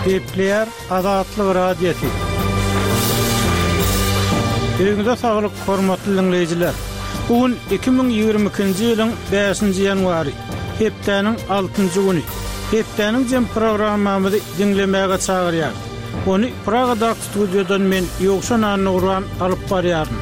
Gepleýär Azatlyk Radiosy. Öýüňize saglyk, hormatly diňleýjiler! Bu gün 2022-nji ýylyň bäşinji ýanwary, hepdäniň altynjy güni. Hepdäniň jem programmamyzy diňlemäge çagyrýarys. Ony Pragadaky studiýadan men, Ýowşan Annagurban alyp barýaryn.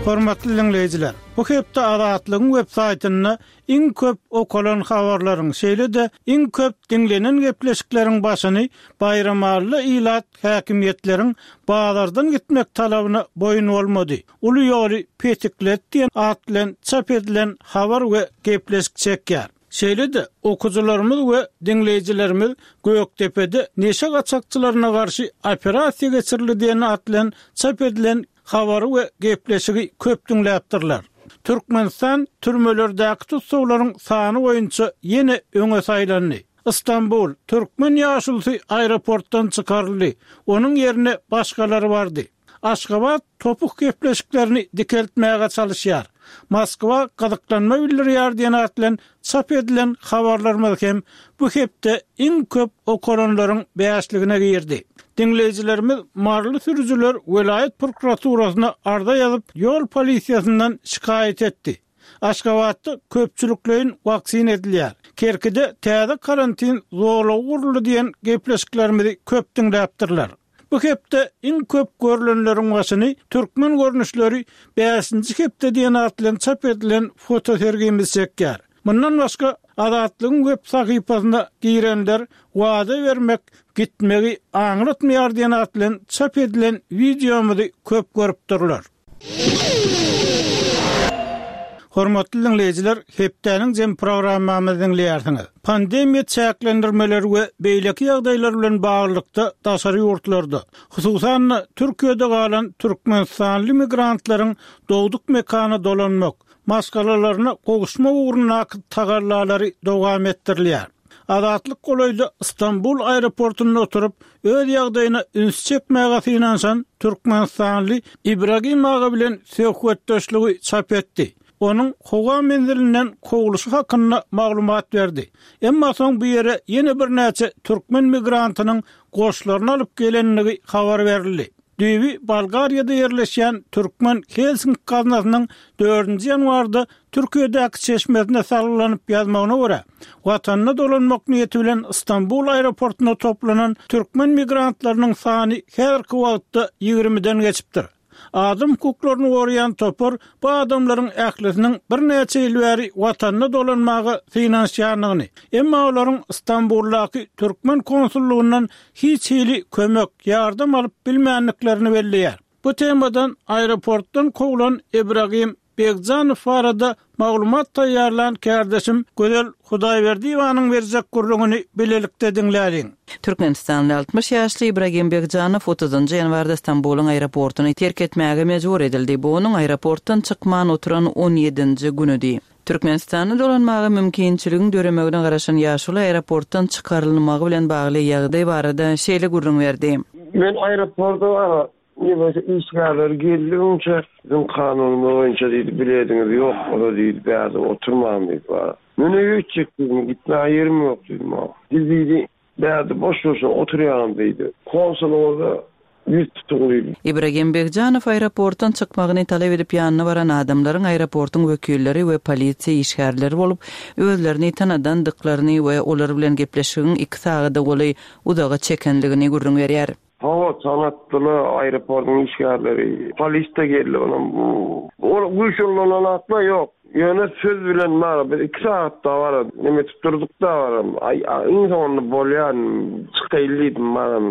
Hormatly diňleýjiler, bu hepde Azatlygyň web saýtynda iň köp okalan habarlaryň, şeýle-de iň köp diňlenen gepleşikleriň başyny Baýramalyly ilat häkimiýetleriň bazardan gitmek talabyna boýun bolmady, uly ýoly petiklet diýen at bilen çap edilen habar we gepleşik çekýär. Şeýle-de, okyjylarymyz we diňleýjilerimiz Gökdepede neşe gaçakçylaryna garşy operasiýa geçirildi diýen at bilen çap edilen habary we gepleşigi köp diňläpdirler. Türkmenistan türmelerdäki tussaglaryň sany boýunça ýene öňe saýlandy. Stambul, türkmen ýaşulusy aeroportdan çykaryldy, onuň ýerine başgalary bardy. Aşgabat topuk gepleşiklerini dikeltmäge çalyşýar. Moskwa gyzyklanma bildirýär diýen at bilen çap edilen habarlarymyz hem bu hepde iň köp okalanlaryň bäşligine girdi. Diňleýjilerimiz maryly sürüjiler welaýat prokuraturasyna arza ýazyp, ýol polisiýasyndan şikaýat etdi. Aşgabatda köpçülikleýin waksina edilýär. Kerkide täze karantin zolagy guruldy diýen gepleşiklerimizi köp diňläpdirler. Bu hepde iň köp görlenleriň başyny Türkmen görnüşleri bäşinji hepde diýen at bilen çap edilen fotosergimiz çekýär. Mundan başga, Azatlygyň web sahypasyna girenler Wada bermek gitmegi aňlatmaýar diýen at bilen çap edilen wideomyzy köp görüpdirler. Hormatly diňleýjiler, hepdäniň jem programmamyzy diňleýärsiňiz. Pandemiýa çäklendirmeleri we beýleki ýagdaýlar bilen baglylykda daşary ýurtlarda, hususan-da, Türkiýede galan türkmenistanly migrantlaryň dogduk mekana dolanmak, maşgalalaryna gowuşmak ugrundaky tagallalary dowam etdirilýär. Azatlyk golaýda Stambul aeroportynda oturyp, öz ýagdaýyna üns çekmäge synanyşan türkmenistanly Ibragim aga bilen söhbetdeşligi çap etdi. Onuň howa menzilinden kowluşy hakynda maglumat berdi. Emma soň bu ýere ýene birnäçe türkmen migrantynyň goşlaryny alyp gelendigi habar berildi. Düýbi Bolgariýada ýerleşýän Türkmen Helsinki gaznasynyň dördünji ýanwarda Türkiýedäki çeşmesine salgylanyp ýazmagyna görä, Watanyna dolanmak niýeti bilen Stambul aeroportunda toplanan türkmen migrantlarynyň sany häzirki wagtda ýigrimiden geçipdir. Adam hukuklaryny goraýan topar bu adamlaryň ählisiniň birnäçe ýyl bäri Watanyna dolanmaga synanyşýandygyny, emma olaryň Stambuldaky türkmen konsullygyndan hiç hili kömek, ýardam alyp bilmändiklerini belleýär. Bu temadan aeroportdan kowlan Ibragim Begjanow barada maglumat taýýarlan kärdeşim Gözel Hudaýberdiýewanyň berjek gürrüňini bilelikde diňläliň. Türkmenistanly 60 ýaşly Ibragim Begjanow otuzynjy ýanwarda Stambulyň aeroportuny terk etmäge mejbur edildi. Bu onuň aeroportdan çykman oturan on ýedinji günüdi. Türkmenistana dolanmaga mümkinçiligiň döremegine garaşan ýaşuly aeroportdan çykarylmagy bilen bagly ýagdaý barada şeýle gürrüň berdi. Men aeroporta Neme işgärleri geldi öňçe biziň kanunymyz boýunça diýdi bilediňiz ýok bolsa diýdi bärde oturmaň diýdi bara. Men öýe gitjek diýdim gitmäge ýerim ýok diýdim a. Siz diýdi bärde boş boşuna oturýaňyz diýdi. Konsulyňyza ýüz tutuň diýdi. Ibragim Begjanow aeroportdan çykmagyny talap edip ýanyna baran adamlaryň aeroportyň wekilleri we polisiýa işgärleri bolup, özlerini tanadandyklaryny we olar bilen gepleşigiň iki sagada golaý uzaga çekenligini gürrüň berýär. Hawa, tanatdylar aeroportyň işgärleri. Polis-de geldi onam. Ol güýç ullanan atlar ýok. Ýöne söz bilen bar. Biz iki sagat dabara neme etip durduk dabara. Aý, iň soňunda bolýar, çykaýly diýdim baram.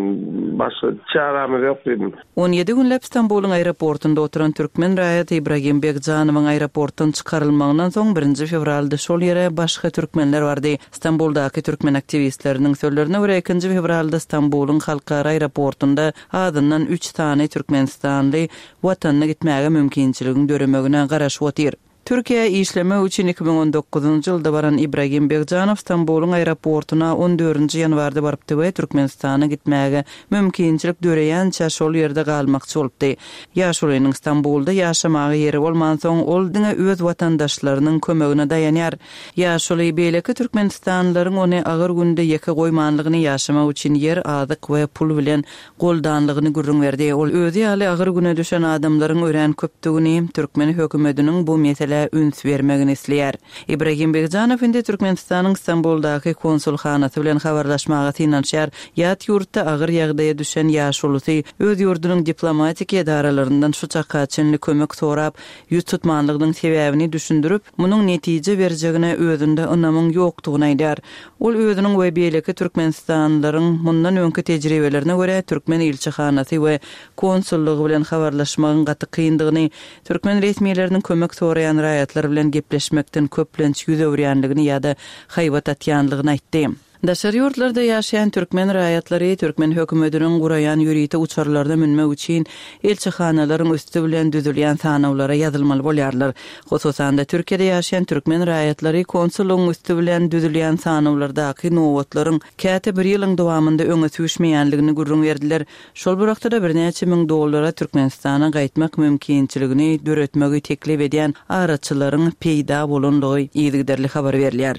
Başga çärämiz ýok diýdim. On ýedi günläp Stambulyň aeroportynda oturan türkmen raýaty Ibragim Begjanowyň aeroportdan çykarylmagyndan soň birinji fewralda şol ýere başga türkmenler bardy. Stambuldaky türkmen aktiwistleriniň sözlerine görä, ikinji fewralda Stambulyň halkara aeroportynda azyndan üç sany türkmenistanly Watanyna gitmäge mümkinçiligiň döremegine garaşyp otyr. Türkiýä işlemek üçin 2019-njy ýylda baran Ibragim Begjanow Stambulyň aeroportuna on dördünji ýanwarda barypdy we Türkmenistana gitmäge mümkinçilik döreýänçä şol ýerde galmakçy bolupdy. Ýaşulynyň Stambulda ýaşamaga ýeri bolmansoň, ol diňe öz watandaşlarynyň kömegine daýanýar. Ýaşuly beýleki türkmenistanlylaryň ony agyr günde ýeke goýmanlygyny, ýaşamak üçin ýer, azyk we pul bilen goldanlygyny gürrüň berdi. Ol özi ýaly agyr güne düşen adamlaryň örän köpdügini, türkmen hökümetiniň bu meselä üns bermegini isleýär. Ibragim Begjanow indi Türkmenistanyň Stambuldaky konsulhanasy bilen habarlaşmaga synanyşýar. Ýat ýurtda agyr ýagdaýa düşen ýaşulusy öz ýurdunyň diplomatik edaralaryndan şu çaka çenli kömek sorap, ýüz tutmanlygynyň sebäbini düşündirip, munuň netije berjegine özünde ynamyň ýokdugyny aýdýar. Ol özüniň we beýleki türkmenistanlylaryň mundan öňki tejribelerine görä, türkmen ilçihanasy we konsullygy bilen habarlaşmagyň gaty kyndygyny, türkmen resmileriniň kömek soraýan raýatlar bilen gepleşmekden köplenç ýüz öwürýänligini ýa-da haýbat atýanlygyny aýtdy. Daşary ýurtlarda ýaşaýan türkmen raýatlary türkmen hökümetiniň guraýan ýörite uçarlaryna münmek üçin ilçihanalaryň üsti bilen düzülýän sanawlara ýazylmaly bolýarlar. Hususan-da, Türkiýede ýaşaýan türkmen raýatlary konsullygyň üsti bilen düzülýän sanawlardaky nobatlaryň käte bir ýylyň dowamynda öňe süýşmeýänligini gürrüň berdiler. Şol bir wagtda-da birnäçe müň dollara Türkmenistana gaýtmak mümkinçiligini döretmegi teklip edýän araçylaryň peýda bolandygy yzygiderli habar berilýär.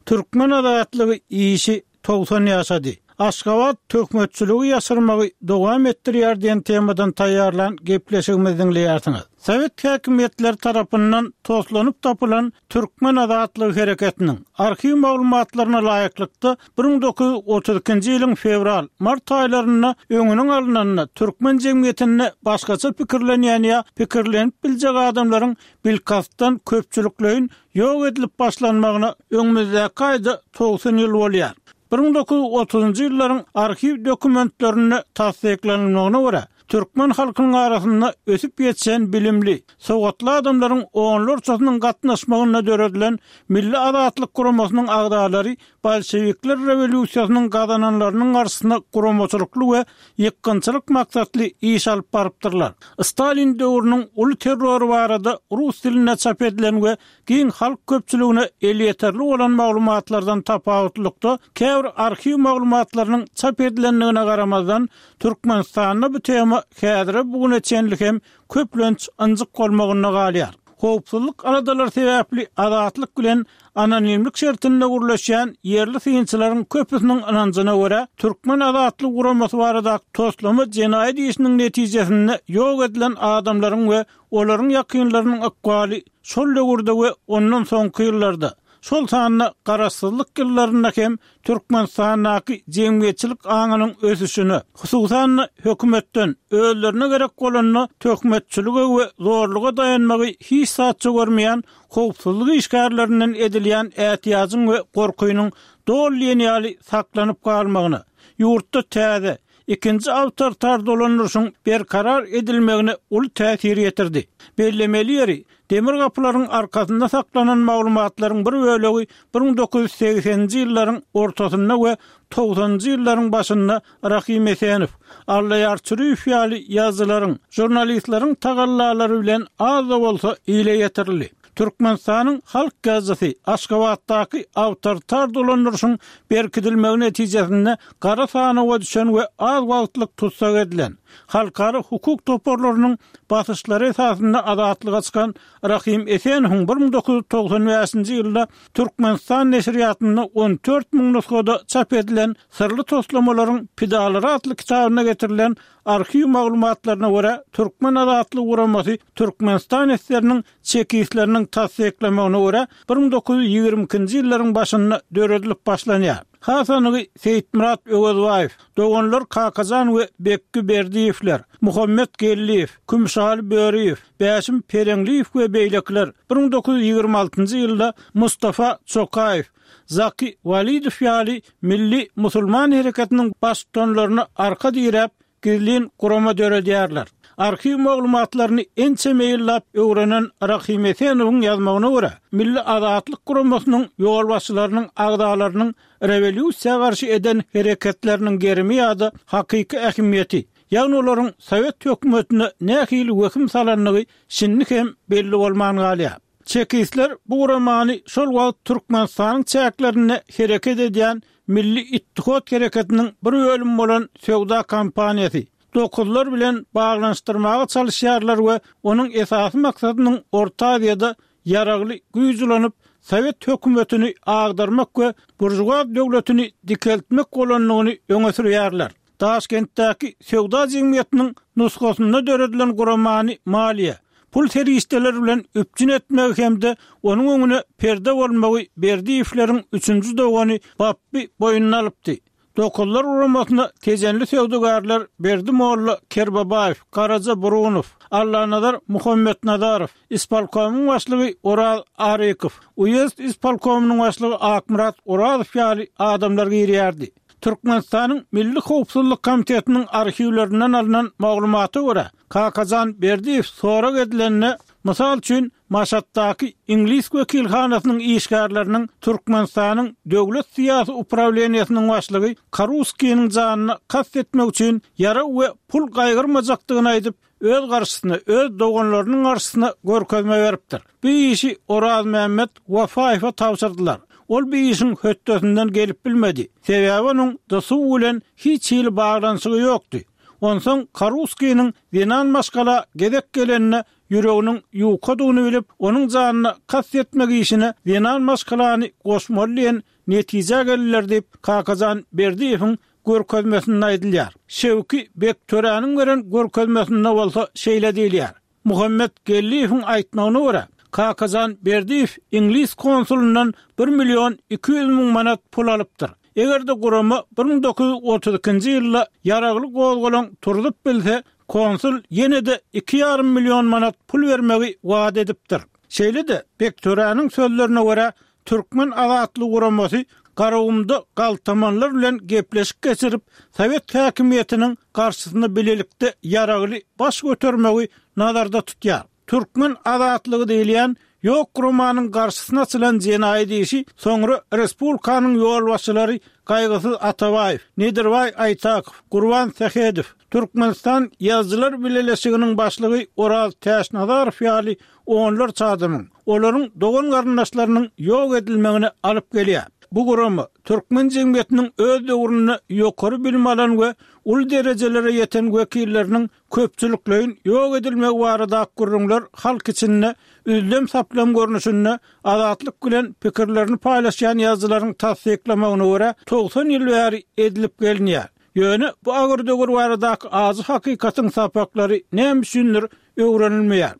Türkmen azatlygy işi 90 ýaşady. Aşgabat töhmetçiligi ýaşyrmagy dowam etdirýär diýen temadan taýýarlan gepleşigimizi diňleýärsiňiz. Sowet häkimiýetleri tarapyndan toslanyp tapylan Türkmen azatlygy hereketiniň arhiw maglumatlaryna laýyklykda, 1932-nji ýylyň fewral, mart aýlarynda öňüniň alnanda türkmen jemgyýetinde başgaça pikirlenýän ýa pikirlenip biljek adamlaryň bilkastdan köpçülikleýin ýok edilip başlanmagyna öňümizdäki aýda 90 ýyl bolýar. 1930-njy ýyllaryň arhiw dokumentlerinde tassyklanylmagyna görä, türkmen halkynyň arasynda ösüp ýetişen bilimli, sowatly adamlaryň onlarçasynyň gatnaşmagynda döredilen Milli azatlyk guramasynyň agzalary bolşewikler rewolýusiýasynyň gazananlarynyň garşysyna guramaçylykly we ýykgynçylyk maksatly iş alyp barypdyrlar. Stalin döwrüniň uly terrory barada rus dilinde çap edilen we giň halk köpçüligine elýeterli bolan maglumatlardan tapawutlylykda, käbir arhiw maglumatlarynyň çap edilendigine garamazdan, Türkmenistanda bu tema häzire-bu güne çenli hem köplenç ynjyk bolmagynda galýar. Howpsuzlyk aladalary sebäpli Azatlyk bilen anonimlik şertinde gürleşýän ýerli synçylaryň köpüsiniň ynanjyna görä, Türkmen azatlygy guramasy baradaky toslama jenaýat işiniň netijesinde ýok edilen adamlaryň we olaryň ýakynlarynyň ykbaly şol döwürde we ondan soňky ýyllarda, şol sanda garaşsyzlyk ýyllarynda hem Türkmenistandaky jemgyýetçilik aňynyň ösüşine, hususan-da, hökümetden özlerine gerek bolanda töhmetçilige we zorluga daýanmagy hiç zatça görmeýän howpsuzlyk işgärlerinden edilýän ätiýajyň we gorkynyň doly diýen ýaly saklanyp galmagyna, ýurtda täze, ikinji awtoritar dolandyryşyň berkarar edilmegine uly täsir ýetirdi. Bellemeli ýeri, demir gapylaryň arkasynda saklanan maglumatlaryň bir bölegi 1980-nji ýyllaryň ortasynda we togsanynjy ýyllaryň başynda Rahym Esenow, Allaýar Çüriýew ýaly ýazyjylaryň, žurnalistleriň tagallalary bilen az-da bolsa ile ýetirildi. Türkmenistanyň halk ýazyjysy Aşgabatdaky awtoritar dolandyryşyň berkidilmegi netijesinde gara sanawa düşen we az wagtlyk tussag edilen, halkara hukuk toparlarynyň basyşlary esasynda azatlyga çykan Rahym Esenowyň 1995-nji ýylda Türkmenistan neşirýatynda 14 000 nusgada çap edilen Syrly toslamalaryň pidalary atly kitabynda getirilen arhiw maglumatlaryna görä, Türkmen azatlygy guramasy Türkmenistan esgeriniň çekistleriniň tassyklamagyna görä, 1922-nji ýyllaryň başynda döredilip başlanýar. Has anygy Seýitmyrat Öwezbaýew, doganlar Kakajan we Bekgi Berdiýewler, Muhammet Geldiýew, Kümüşaly Böriýew, Bäşim Pereňliýew we beýlekiler 1926-njy ýylda Mustafa Çokaýew, Zaki Walidow ýaly milli musulman hereketiniň baştutanlaryna arka diräp, gizlin gurama döredýärler. Arhiw maglumatlaryny ençeme ýyllap öwrenen Rahym Esenowyň ýazmagyna görä, Milli azatlyk guramasynyň ýolbaşçylarynyň agzalarynyň rewolýusiýa garşy eden hereketleriniň gerimi ýa-da hakyky ähmiýeti. ýagny olaryň sowet hökümetine nähili wehim salandygy şindi hem belli bolman galýar. Çekistler bu guramany şol wagt Türkmenistanyň çäklerinde hereket edýän Milli Ittihot hereketiniň bir bölümi bolan söwda kompaniýasy, Dokuzlar bilen baglanyşdyrmaga çalyşýarlar we onuň esasy maksadynyň Orta Aziýada ýaragly güýç ulanyp, sowet hökümetini agdarmak we buržuaz döwletini dikeltmek bolandygyny öňe sürýärler. Daşkentdäki söwda jemgyýetiniň nusgasynda döredilen guramany maliýe, pul serişdeleri bilen üpjün etmegi hem-de onuň öňüne perde bolmagy Berdiýewleriň üçünji dogany Bapby boýnuna alypdy. Dokuzlar guramasyna tejenli söwdagärler Berdi molla Kerbabaýew, Garaja Burunow, Allanazar Muhammetnazarow, ispolkomyň başlygy Oraz Arykow, uýezd ispolkomynyň başlygy Akmyrat Orazow ýaly adamlar girýärdi. Türkmenistanyň Milli howpsuzlyk komitetiniň arhiwlerinden alnan maglumata görä, Kakajan Berdiýew sorag edilende, mysal üçin, Maşatdaky iňlis wekilhanasynyň işgärleriniň Türkmenistanyň Döwlet syýasy uprawleniýesiniň başlygy Karuskiniň janyna kast etmek üçin ýarag we pul gaýgyrmajakdygyny aýdyp, öz garşysyna, öz doganlarynyň garşysyna görkezme beripdir. Bu işi Orazmämmet Wafaýewe tabşyrdylar. Ol bu işiň hötdesinden gelip bilmedi. Sebäbi onuň DSU bilen hiç hili baglanyşygy ýokdy. Onsoň Karuskiniň zenan maşgala gezek gelende ýüreginiň ýukadygyny bilip, onuň janyna kast etmek işine zenan maşgalany goşmaly diýen netijä geldiler diýip, Kakajan Berdiýewiň görkezmesinde aýdylýar. Şewki Bektöräniň beren görkezmesinde bolsa şeýle diýilýär, Muhammet Geldiýewiň aýtmagyna görä, Kakajan Berdiýew iňlis konsulyndan bir million 200 müň manat pul alypdyr. Eger-de gurama 1932-nji ýylda ýaragly gozgalaň turzup bilse, konsul ýene-de iki ýarym million manat pul bermegi wada edipdir. Şeýle-de, Bektöräniň sözlerine görä, Türkmen azatlygy guramasy Garagumda galtamanlar bilen gepleşik geçirip, sowet häkimiýetiniň garşysyna bilelikde ýaragly baş götermegi nazarda tutýar. Türkmen azatlygy diýilýän ýok guramanyň garşysyna açylan jenaýat işi soňra respublikanyň ýolbaşçylary Gaýgysyz Atabaýew, Nedirbaý Aýtakow, Gurban Sähedow, Türkmenistan Ýazyjylar bileleşiginiň başlygy Oraz Täçnazarow ýaly onlarça adamyň, olaryň dogan-garyndaşlarynyň ýok edilmegine alyp gelýär. Bu gurama türkmen jemgyýetiniň öz döwründe ýokary bilim alan we uly derejelere ýeten wekilleriniň köpçülikleýin ýok edilmegi baradaky gürrüňler halk içinde üzlem-saplam görnüşinde Azatlyk bilen pikirlerini paýlaşýan ýazyjylaryň tassyklamagyna görä, 90 ýyl bäri edilip gelinýär. Ýöne bu agyr döwür baradaky ajy hakykatyň sapaklary näme üçindir öwrenilmeýär.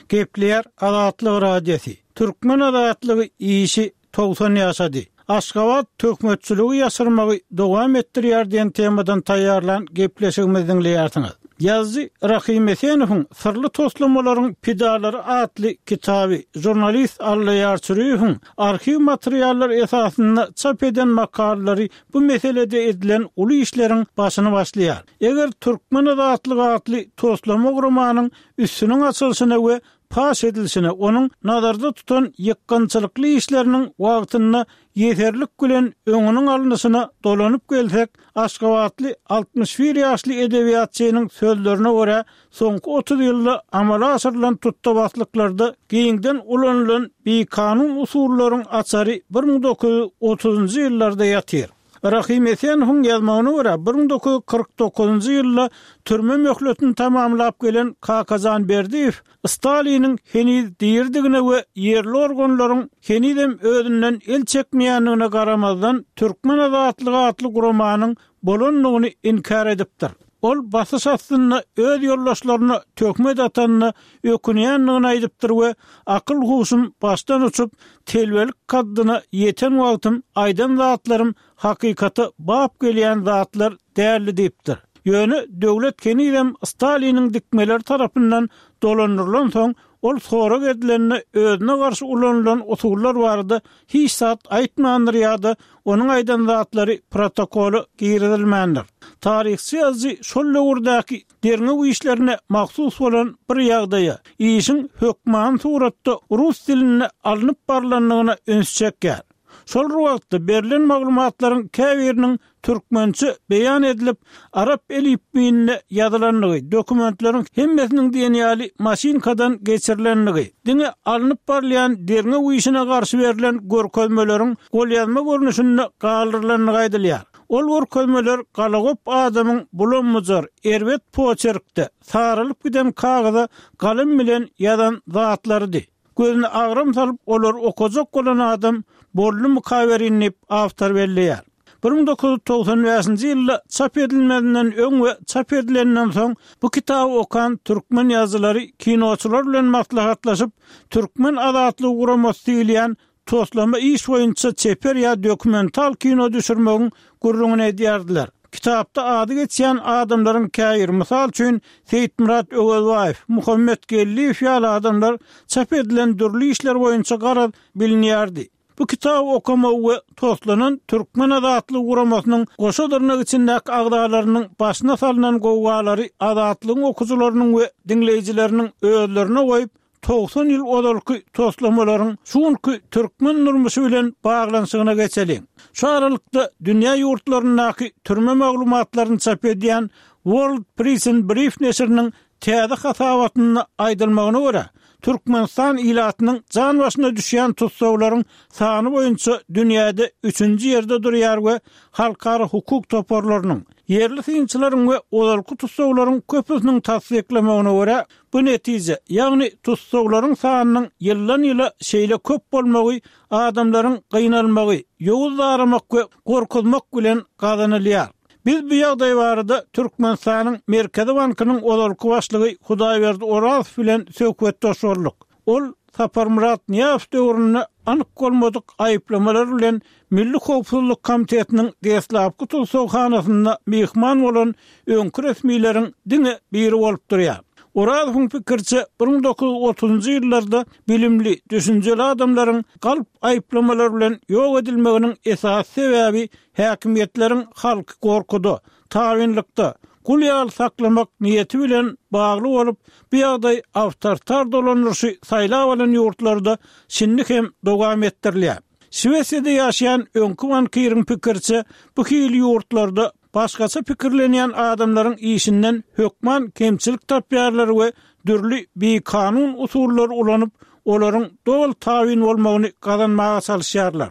Gepleýär Azatlyk Radiosy. Türkmen azatlygy işi 90 ýaşady. Aşgabat töhmetçiligi ýaşyrmagy dowam etdirýär diýen temadan taýýarlan gepleşigimizi diňleýärsiňiz. Ýazyjy Rahym Esenowyň Syrly toslamalaryň pidalary atly kitaby, žurnalist Allaýar Çüriýewiň arhiw materiallary esasynda çap eden makalalary bu meselede edilen uly işleriň başyny başlaýar. Eger Türkmen azatlygy atly toslama guramanyň üstüniň açylyşyna we paş edilişine, onuň nazarda tutan ýykgynçylykly işleriniň wagtynda ýeserlik bilen öňüniň alnyşyna dolanyp gelsek, aşgabatly 61 ýaşly edebiýatçynyň sözlerine görä, soňky 30 ýylda amala aşyrylan tutda-baslyklarda giňden ulanylan bikanun usullaryň açary 1930-njy ýyllarda ýatyr. Rahym Esenowyň ýazmagyna görä, 1949-njy ýylda türme möhletini tamamlap gelen Kakajan Berdiýew Staliniň heniz diridigine we ýerli organlaryň henizem özünden el çekmeýändigine garamazdan, Türkmen azatlygy atly guramanyň bolandygyny inkär edipdir. Ol basyş astynda öz ýoldaşlaryna töhmet atanyna ökünýändigini aýdypdyr we akyl-huşum başdan uçup, telbelik kaddyna ýeten wagtym aýdan zatlarym hakykata bap gelýän zatlar däldi diýipdir. Ýöne döwlet henizem Staliniň dikmeleri tarapyndan dolandyrylansoň, ol sorag edilende özüne garşy ulanylan usullar barada hiç zat aýtmandyr ýa-da onuň aýdan zatlary protokola girizilmändir. Taryhçy ýazyjy şol döwürdäki derňew işlerine mahsus bolan bir ýagdaýa, işiň hökmany suratda rus dilinde alnyp barlandygyna üns çekýär. Şol bir wagtda, berlen maglumatlaryň käbiriniň türkmençe beýan edilip, arap elipbiýinde ýazylandygy, dokumentleriň hemmesiniň diýen ýaly maşynkadan geçirilendigi, diňe alnyp barylýan derňew işine garşy berlen görkezmeleriň golýazma görnüşinde galdyrylandygy aýdylýar. Ol görkezmeler galagop adamyň bulam-bujar, erbet poçerkde, saralyp giden kagyza galam bilen ýazan zatlarydy. Gözüne agram salyp olary okajak bolan adam boldumykawerin diýip, awtor belleýär. 1995-nji ýylda çap edilmezinden öň we çap edilenden soň bu kitaby okan türkmen ýazyjylary kinoçylar bilen maslahatlaşyp, Türkmen azatlygy guramasy diýilýän toslama iş boýunça çeper ýa dokumental kino düşürmegiň gürrüňini edýärdiler. Kitapda ady geçýän adamlaryň käbiri, mysal üçin, Seýitmyrat Öwezbaýew, Muhammet Geldiýew ýaly adamlar çap edilen dürli işler boýunça garaz bilinýärdi. Bu kitaby okamagy we toslanan Türkmen azatlygy guramasynyň goşa dyrnak içindäki agzalarynyň başyna salnan gowgalary Azatlygyň okyjylarynyň we diňleýjileriniň özlerine goýup, 90 ýyl ozalky toslamalaryň şu günki türkmen durmuşy bilen baglanyşygyna geçeliň. Şu aralykda dünýä ýurtlaryndaky türme maglumatlaryny çap edýän World Prison Brief neşiriniň täze hasabatynda aýdylmagyna görä, Türkmenistan ilatynyň jan başyna düşýän tussaglaryň sany boýunça dünýäde üçünji ýerde durýar we halkara hukuk toparlarynyň, ýerli synçylaryň we ozalky tussaglaryň köpüsiniň tassyklamagyna görä, Bu netije, ýagny tussaglaryň sanynyň ýyldan-ýyla şeýle köp bolmagy adamlaryň gynalmagy, ýowuz daramak we gorkuzmak bilen gazanylýar. Biz bu ýagdaý barada Türkmenistanyň Merkezi bankynyň ozalky başlygy Hudaýberdi Orazow bilen söhbetdeş bolduk. Ol Saparmyrat Nyýazow döwründe anyk bolmadyk aýyplamalar bilen Milli howpsuzlyk komitetiniň deslapky tussaghanasynda myhman bolan öňki resmileriň diňe biri bolup durýar. Orazowyň pikiriçe, 1930-njy ýyllarda bilimli, düşünjeli adamlaryň galp aýyplamalar bilen ýok edilmeginiň esasy sebäbi häkimiýetleriň halky gorkuda, tabynlykda, gul ýaly saklamak niýeti bilen bagly bolup, bu ýagdaý awtoritar dolandyryşy saýlap alan ýurtlarda şindi hem dowam etdirilýär. Şwesiýada ýaşaýan öňki bankiriň pikiriçe, bu hili ýurtlarda başgaça pikirlenýän adamlaryň işinden hökman kemçilik tapýarlar we dürli bikanun usullary ulanyp, olaryň doly tabyn bolmagyny gazanmaga çalyşýarlar.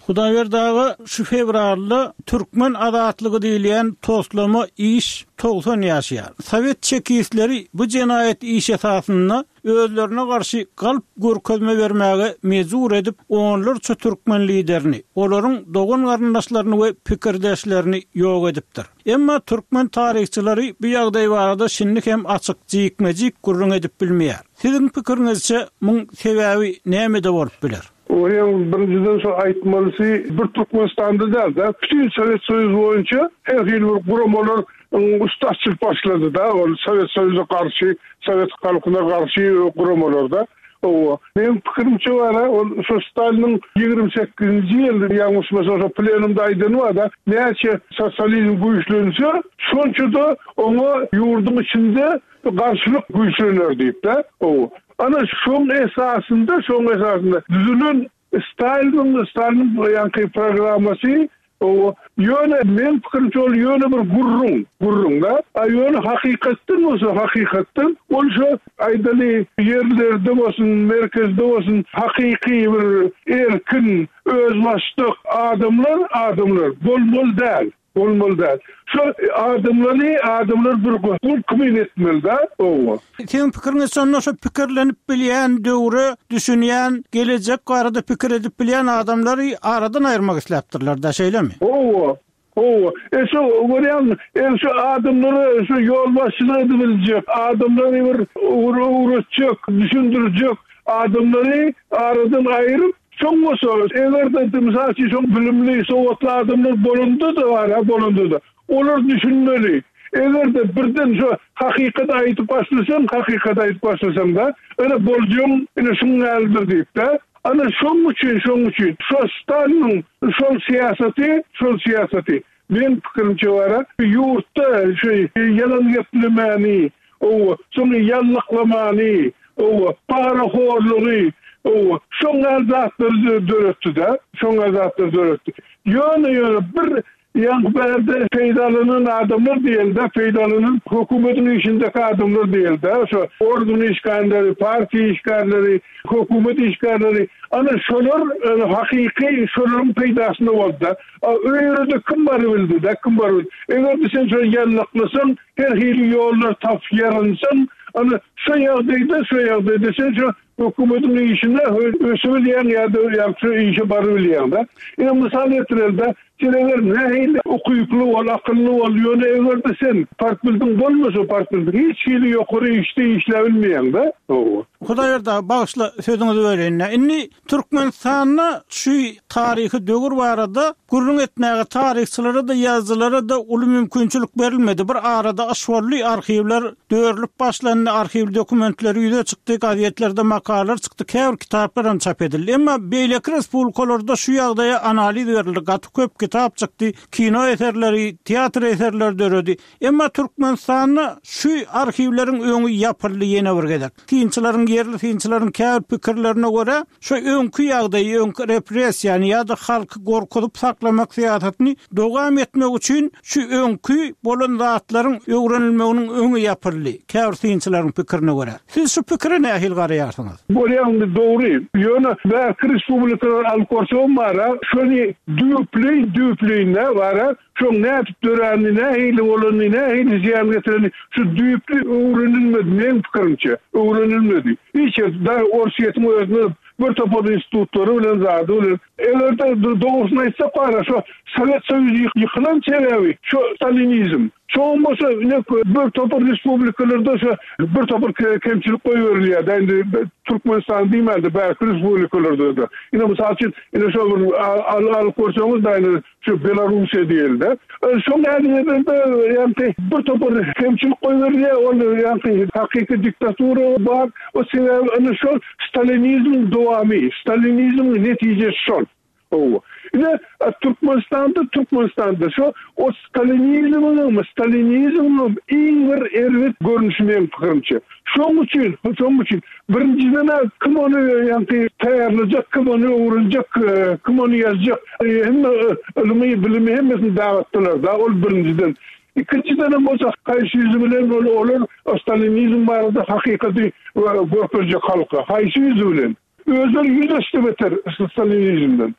Hudaýberdi aga şu fewralda Türkmen azatlygy diýilýän toslama iş 90 ýaşaýar. Sowet çekistleri bu jenaýat iş esasynda özlerine garşy galp görkezme bermäge mejbur edip, onlarça türkmen liderini, olaryň dogan-garyndaşlaryny we pikirdeşlerini ýok edipdir. Emma türkmen taryhçylary bu ýagdaý barada şindi hem açyk, jikme-jik gürrüň edip bilmeýär. Siziň pikiriňizçe, muň sebäbi nämede bolup biler? Onuň birinjiden şo aýtmalysy bir Türkmenistanda däl-de, bütin Sowet Soýuzy boýunça her hili bir guramalar üsti açylyp başlady-da, ol Sowet Soýuza garşy, sowet halkyna garşy guramalar-da. Hawa, meň pikirimçe bar-a, ol şo Staliniň 28-nji ýyl, ýalňyşmasam, şo plenumda aýdany bar-da, näçe sosializm güýçlense, şonça-da oňa ýurduň içinde garşylyk güýçlener diýip-de. Hawa. Ana, şoň esasynda, şoň esasynda düzülen Staliniň, Staliniň ýaňky programmasy, hawa, ýöne meň pikirimçe ol ýöne bir gürrüň, gürrüň-dä. A ýöne hakykatdan bolsa, hakykatdan ol şo aýdaly ýerlerde bolsun, merkezde bolsun hakyky bir erkin, özbaşdak adamlar, adamlar bolmaly däl. Bolmaly däl. Şo adamlary adamlar bir gul kimin etmeli da owa. Siziň pikiriňizçe onda şo pikirlenip bilýän döwre düşünýän gelejek barada pikir edip bilýän adamlary aradan aýyrmak isläpdirler da şeýlemi? Owa. Owa. E şo görýäňmi e şo adamlara şo ýolbaşçylyk edibiljek adamlary bir ugur öwretjek düşündirjek adamlary aradan aýyryp Soň bolsa, eger-de, mysal üçin, şoň bilimli, sowatly adamlar bolanda-da bar-a, bolanda-da, olar düşünmeli. Eger-de birden şo hakykaty aýdyp başlasaň, hakykaty aýdyp başlasaň-da, ine, boljagyň, ine, şuň ýalydyr diýip-de. Ana, şoň üçin, şoň üçin, şo Staliniň şol syýasaty, şol syýasaty, meň pikirimçe bar-a, ýurtda şu ýalan geplemäni, Owa, soň ýallaklamany, owa, parahorlugy. Hawa, şoň ýaly zatlary döretdi-de, şoň ýaly zatlary döretdi. Ýöne, ýöne bir ýaňky bärde peýdalanan adamlar diýeli-de, peýdalanan hökümetiň işindäki adamlar diýeli-de, şo organ işgärleri, partiýa işgärleri, hökümet işgärleri, ana şolar hakyky şolaryň peýdasyna boldy-da. A öýere-de kim barybildi-de, kim barybildi. Eger-de sen şony ýallaklasaň, her hili ýollar tapyp ýarynsaň, ana şo ýagdaýda, şo ýagdaýda sen şo hökümetiň işine ösübilýäň ýa-da ýa-da şo işe barybilýäň-de. Ine mysal getireli-de, sen eger nähili ukyply bol, akylly bol, ýöne eger-de sen partbildiň bolmasa, partbildiň hiç hili ýokary işde işläbilmeýäň-de. Hawa. Hudaýberdi aga, bagyşla, sözüňizi böleýin-dä. Indi Türkmenistanda şu taryhy döwür barada gürrüň etmäge taryhçylara-da, ýazyjylara-da uly mümkinçilik berilmedi. Bir arada yş boldy, arhiwler dörülip başlandy, arhiw dokumentleri ýüze çykdy, gazetlerde makalalar çykdy, käbir kitaplar hem çap edildi. Emma beýleki respublikalarda şu ýagdaýa analiz berildi, gaty köp kitap çykdy, kino eserleri, teatr eserleri döredi. Emma Türkmenistanda şu arhiwleriň öňi ýapyldy ýene bir gezek. Synçylaryň, ýerli synçylaryň käbir pikirlerine görä, şu öňki ýagdaýy, öňki repressiýany ýa-da halky gorkuzyp saklamak syýasatyny dowam etmek üçin şu öňki bolan zatlaryň öwrenilmeginiň öňi ýapyldy, käbir synçylaryň pikirine görä. Siz şu pikire nähili garaýarsyňyz? Bolýa indi dogry. Ýöne bärki respublikalary alyp görsegem bara, şony düýpleýin düýpleýin-dä bara, Şoň nädip döränini, nähili bolanyny, nähili zyýan getirenini şu düýpli öwrenilmedi, meň pikirimçe, öwrenilmedi. Hiç ýerde, dagy Orsýetiň özünde bir topar institutlary bilen, zady bilen. Eger-de dogrusyny aýtsak bar-a, şo Sowet Soýuzy ýykylan sebäbi şo stalinizm. Şoňam bolsa ine bir topar respublikalarda şo bir topar kemçilik goýberilýär-dä, indi Türkmenistany diýmän-de, bärki respublikalarda-da. Ine, mysal üçin, ine şo bir alyp görseňiz-dä indi Şu Belarusiýa diýeli-de. Şoň ädimlerinde ýaňky bir topar kemçilik goýberilýär, ol ýaňky hakyky diktatura bar. O sebäbi ine şol stalinizmiň dowamy, stalinizmiň netijesi şol. Hawa. Ine Türkmenistanda, Türkmenistanda şo o stalinizmiňem, stalinizmiňem iň bir erbet görnüşi meň pikirimçe. Şoň üçin, şoň üçin birinjiden-ä kim ony ýaňky taýýarlajak, kim ony öwrenjek, kim ony ýazjak, hemme ylmy, bilimi hemmesini dagatdylar-da, ol birinjiden. Ikinjidenem bolsa haýsy ýüzi bilen ol olar stalinizm barada hakykaty görkezjek halka, haýsy ýüzi bilen? Özleri ýüz esse beter stalinizmden.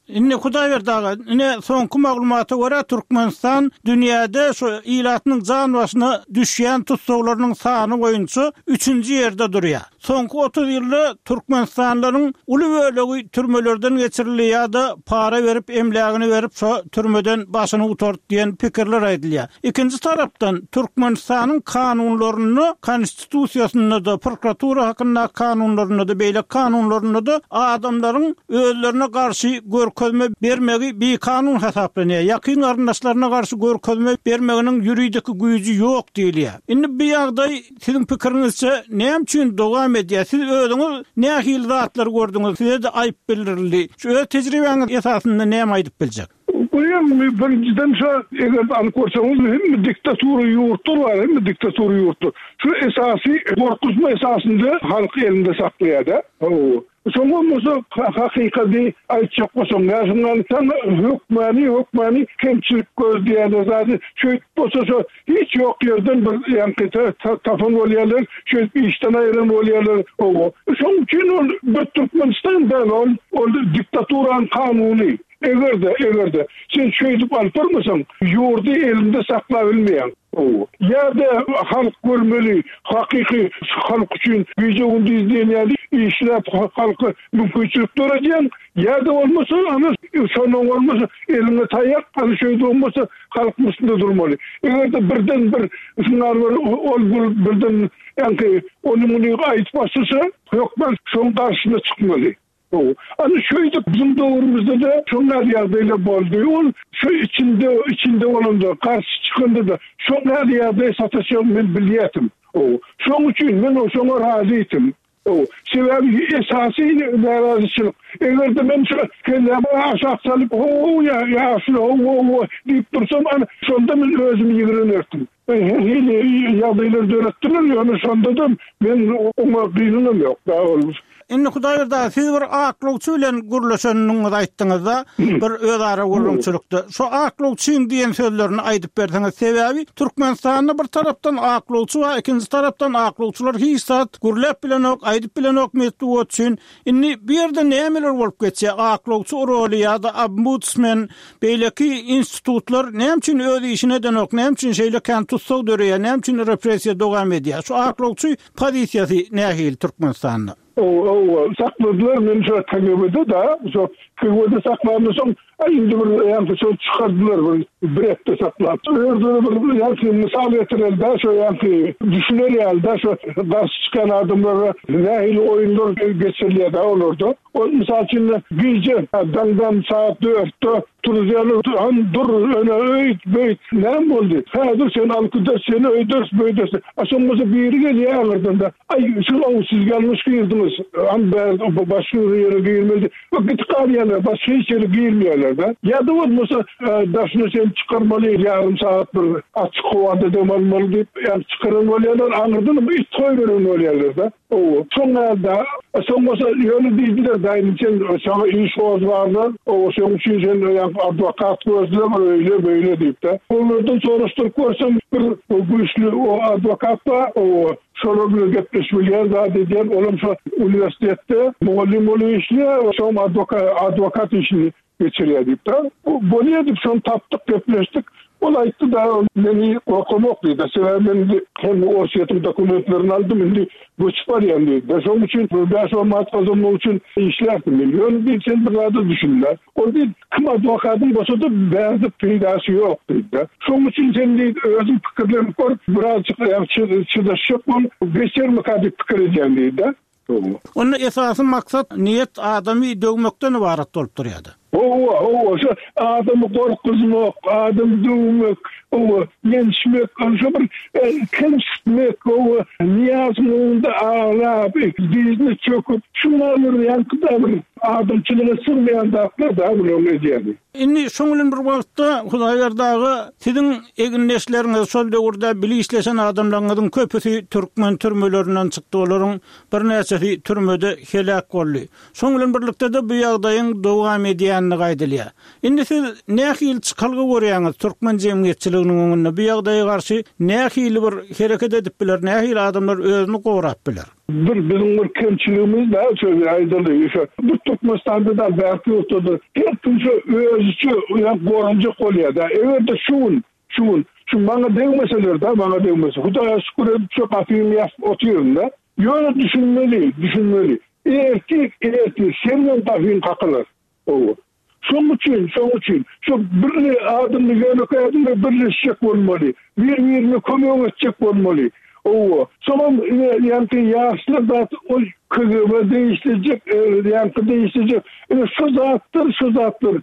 Indi Hudaýberdi aga, ine soňky maglumata görä Türkmenistan dünýäde şu ilatynyň jan başyna düşýän tussaglarynyň sany boýunça üçünji ýerde durýar. Soňky 30 ýylda türkmenistanlylaryň uly bölegi türmelerden geçirildi ýa-da para berip, emlägini berip şo türmeden başyny gutardy diýen pikirler aýdylýar. Ikinji tarapdan Türkmenistanyň kanunlarynda Konstitusiýasynda-da, prokuratura hakyndaky kanunlarynda-da, beýleki kanunlarynda-da adamlaryň özlerine garşy görkezme bermegi bikanun hasaplanýar. Ýakyn garyndaşlaryna garşy görkezme bermeginiň ýuridiki güýji ýok diýilýär. Indi bu ýagdaý siziň pikiriňizçe näme üçin dowam edýär? Siz özüňiz nähili zatlary gördüňiz? Size-de aýyp bildirildi. Şu öz tejribäňiz esasynda näme aýdyp biljek? Görýäňmi, birinjiden şo, eger alyp görseňiz, hemme diktatura ýurtlar bar, hemme diktatura ýurtlar. Şu esasy gorkuzma esasynda halky elinde saklaýar-da. Hawa. Soň bolmasa hakykady aýtjak bolsaň, ýa şundan saňa hökmany, hökmany kemçilik gözleýärler zady. Şeýdip bolsa şo Hiç ýok ýerden bir ýaňky tapan bolýarlar, şeýdip işden aýyran bolýarlar. Hawa. Şoň üçin ol bir Türkmenistan däl ol, ol diktaturanyň kanuny. Eger-de, eger-de sen şeýdip alyp barmasaň, ýurdy elinde saklabilmeýäň. Hawa. Ýa-da halk görmeli, hakyky halk üçin gije-gündiz diýen ýaly işläp halka mümkinçilik döredýäň, ýa-da bolmasa, ana, şondan bolmasa eliňe taýak, ana şeýdip bolmasa Halkyň üstünde durmaly. Eger-de birden bir şunlar bir ol bul birden ýaňky ony muny aýdyp başlasa, hökman şoň garşysyna çykmaly. Hawa. Ana şeýdip biziň döwrümizde-de şoň ýaly ýagdaýlar boldy. Ol şu içinde içinde bolanda, garşy çykanda-da şoň ýaly ýagdaý sataşjagyny men bilýärdim. Hawa. Şoň üçin men şoňa razytym. Sebäbi esasy närazyçylyk. Eger-de men şu kellämi aşak salyp, ho-ow ýa ýaşuly, ho-ow diýip dursam, ana, şonda men özümi ýigrenerdim. Her hili ýagdaýlar döretdiler, ýöne şonda-da men oňa gynanam ýok. Indi Hudaýberdi aga, siz bir aklawçy bilen gürleşendigiňizi aýtdyňyz-da, bir özara gürrüňçilikde. Şo aklawçyň diýen sözlerini aýdyp berseňiz, sebäbi Türkmenistanda bir tarapdan aklawçy bar, ikinji tarapdan aklawçylar hiç zat gürläp bilenok, aýdyp bilenok metbugat üçin. Indi bu ýerde nämeler bolup geçýär? Aklawçy roly ýa-da ombudsmen, beýleki institutlar näme üçin öz işini edenok, näme üçin şeýle kän tussag döreýär, näme üçin repressiýa dowam edýär? Şu aklawçy pozisiýasy nähili Türkmenistanda? Hawa, sakladylar meni şo KGB-de-da, şo KGB-de saklandan soň, aý indi bir ýaňky şo çykardylar bir bir hepde saklap. Özleri bir ýaňky mysal getireli-dä şo ýaňky düşüner ýaly-da şo garşy çykýan adamlara nähili oýunlar geçirilýär-dä olarda. Ol mysal üçin gije daňdan sagat dörtde Turuzýarlar, han dur, öne öýt, beýt, näme boldy? Häzir seni alyp gideris, seni öýderis, beýderis. A soň bolsa biri gelýär aňyrdan-da, Aý, siz ow, siz ýalňyş girdiňiz, han bärde başga bir ýere girmeli diýip, gidip galýarlar, başga hiç ýere girmeýärler-de. Ýa-da bolmasa, daşyna seni çykarmaly, ýarym sagat bir açyk howada dem almaly diýip, ýa çykaran bolýarlar, aňyrdanam it goýberen bolýarlar-da. Owo, şoň ýaly-da. Soň bolsa ýöne diýdiler, daýym sen saňa iş gozgarlar, owo, şoň üçin sen ýaňky adwokat gözle bir öýle beýle diýip-de. Olardan soraşdyryp görsem bir güýçli o adwokat bar, owo, şolar bilen gepleşip bilýän zat edýän, olam şo uniwersitetde mugallym bolup işleýär, şoň adwokat işini geçirýär diýip-de. Bolýar diýip, şony tapdyk, gepleşdik. Ol aýtdy-da, meni gorkamok diýdi. Sebäbi men indi hem Orsýetiň dokumentlerini aldym, indi göçüp barýan diýdi. Şonuň üçin bäş-on manat gazanmak üçin işlärdim men. Ýöne diýdi, sen bir zada düşün-dä. Ol diýdi, kim adwokadyň bolsa-da bärde peýdasy ýok diýdi-de. Şonuň üçin sen diýdi, özüň pikirlenip gör, birazjyk çydaşjak bol, geçermika diýip pikir edýän diýdi-de. Onda esasy maksat, niýet adamy döwmekden ybarat bolup durýardy. Hawa, hawa, şo adamy gorkuzmak, adamy döwmek, hawa, ýençmek, şo bir kemsitmek, hawa, Nyýazowyň öňünde aglap, dyzyna çöküp, şuňa bir ýaňky-da bir adamçylyga sygmaýan zatlar-da bularyň edýäni. Indi şoň bilen bir wagtda Hudaýberdi aga siziň egindeşleriňiz şol döwürde bile işleşen adamlaryňyzyň köpüsi türkmen türmelerinden çykdy olaryň birnäçesi türmede heläk boldy. Şoň bilen birlikde-de bu ýagdaýyň dowam edýändigi aýdylýar. Indi siz nähili çykalga görýäňiz türkmen jemgyýetçiliginiň öňünde bu ýagdaýa garşy nähili bir hereket edip biler nähili adamlar özüni gorap biler? Bir biziň bir kemçiligimiz bar şöyle aýdaly şo bir Türkmenistanda däl bärki ýurtda-da her kim şo özüçe ýa goranjak bolýar-da eger-de şu gün şu gün şu maňa degmeseler-de maňa degmese Hudaýa şükür edip şo gapymy ýapyp otyryn-da ýöne düşünmeli düşünmeli ertir ertir seniňem gapyň kakylar Hawa. Şoň üçin, şoň üçin, şu birli adamly ýönekeý adamlar birleşjek bolmaly. Bir-birine kömek etjek bolmaly. Hawa. Soňam ine ýaňky ýaşlar zat ol KGB degişlejek, ýaňky degişlejek. Ine şu zatlar, şu zatlar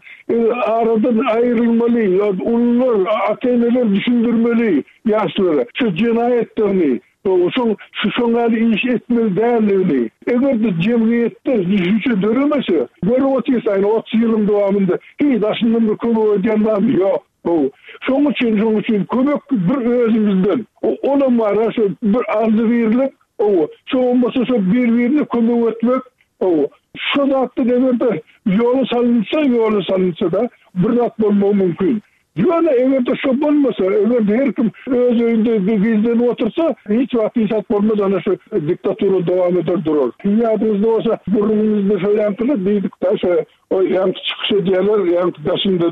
aradan aýrylmaly. Ulular, ata-eneler düşündirmeli ýaşlara şu jenaýatlaryny. Şoň şoň ýaly iş etmeli däldigini, eger-de jemgyýetde düşünje döremese, görüp otyrys aýna 30 ýylyň dowamynda hiç daşyndan bir kömek edýän barmy? Ýok. Hawa. Şoň üçin, şoň üçin kömek bir özümizden. Olam bar-a şo bir agzybirlik, hawa. Şo bolmasa şo bir-birine kömek etmek, hawa. Şo zatdan eger-de ýola salynsa, ýola salynsa-da bir zat bolmagy mümkin. Ýöne eger-de şo bolmasa, eger-de her kim öz öýünde gizlenip otursa, hiç wagt hiç zat bolmaz, ana şu diktatura dowam eder durar. Ýadyňyzda bolsa, gürrüňimizde şo ýaňkyda diýdik-dä, şo o ýaňky çykyş edýärler, ýaňky daşynda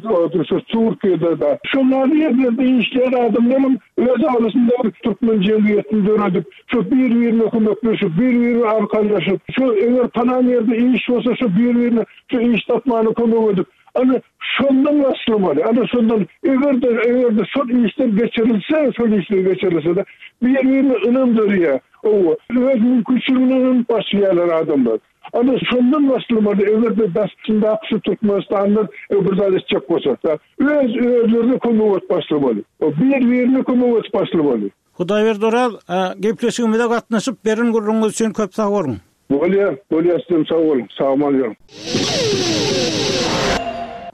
şu Türkiýede-de. Şol ýaly ýerlerde işleýän adamlaram öz arasynda bir türkmen jemgyýetini döredip, şo bir-birine kömekleşip, bir-birine arkalaşyp, şo eger palan ýerde iş bolsa, şo bir-birine şu iş tapmana kömek edip, Ana, şondan başlamaly. Ana, şondan, eger-de, eger-de şol işler geçirilse, şol işler geçirilse-de, bir-birine ynam döreýär. Hawa, öz mümkinçiligine ynanyp başlaýarlar adamlar. Ana, şondan başlamaly, eger-de daşyndaky şu türkmenistanlylar bir zat etjek bolsa, öz özlerine kömek edip başlamaly. Bir-birine kömek edip başlamaly. Hudaýberdi Oraz, gepleşigimize gatnaşyp beren gürrüňiňiz üçin köp sag boluň. Bolýar, bolýar sizem sag boluň, sag-aman ýörüň.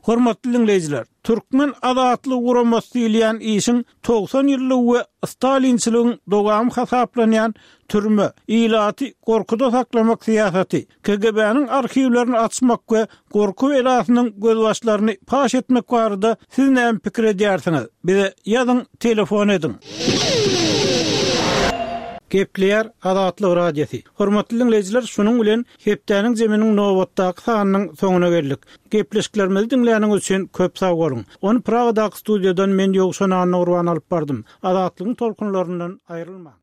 Hormatly diňleýjiler, Türkmen azatlygy guramasy diýilýän işiň 90 ýyllygy we stalinçiligiň dowamy hasaplanýan türme, ilaty gorkuda saklamak syýasaty, KGB-niň arhiwlerini açmak we gorky belasynyň gözbaşlaryny paş etmek barada siz näme pikir edýärsiňiz? Bize ýazyň, telefon ediň. Gepleýär Azatlyk Radiosy. Hormatly diňleýjiler, şunuň bilen hepdäniň zeminiň nobatdaky sanynyň soňuna geldik. Gepleşiklerimizi diňläniňiz üçin köp sag boluň. Ony Pragadaky studiýadan men Ýowşan Annagurban alyp bardym. Azatlygyň tolkunlaryndan aýrylmaň.